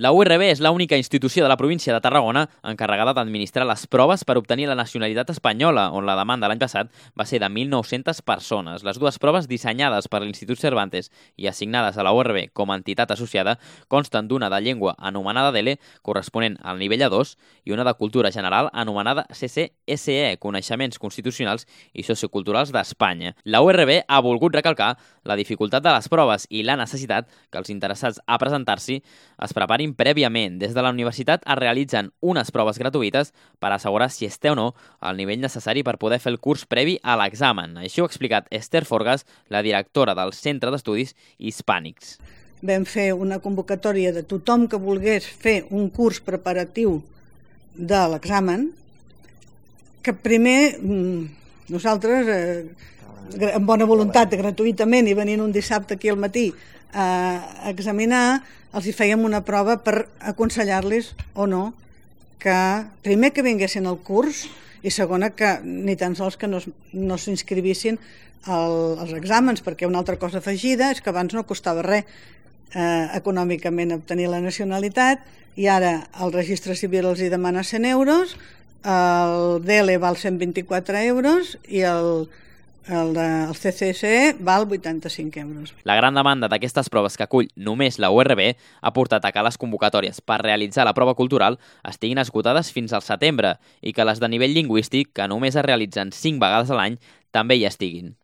La URB és l'única institució de la província de Tarragona encarregada d'administrar les proves per obtenir la nacionalitat espanyola, on la demanda l'any passat va ser de 1.900 persones. Les dues proves dissenyades per l'Institut Cervantes i assignades a la URB com a entitat associada consten d'una de llengua anomenada DELE, corresponent al nivell A2, i una de cultura general anomenada CCSE, Coneixements Constitucionals i Socioculturals d'Espanya. La URB ha volgut recalcar la dificultat de les proves i la necessitat que els interessats a presentar-s'hi es preparin prèviament. Des de la universitat es realitzen unes proves gratuïtes per assegurar si es té o no el nivell necessari per poder fer el curs previ a l'examen. Així ho ha explicat Esther Forgas, la directora del Centre d'Estudis Hispànics. Vam fer una convocatòria de tothom que volgués fer un curs preparatiu de l'examen, que primer nosaltres, amb bona voluntat, gratuïtament, i venint un dissabte aquí al matí a examinar, els hi fèiem una prova per aconsellar-los o no que primer que vinguessin al curs i segona que ni tan sols que no s'inscrivissin als exàmens, perquè una altra cosa afegida és que abans no costava res econòmicament obtenir la nacionalitat i ara el registre civil els hi demana 100 euros, el DELE val 124 euros i el CCSE val 85 euros. La gran demanda d'aquestes proves que acull només la URB ha portat a que les convocatòries per realitzar la prova cultural estiguin esgotades fins al setembre i que les de nivell lingüístic, que només es realitzen 5 vegades a l'any, també hi estiguin.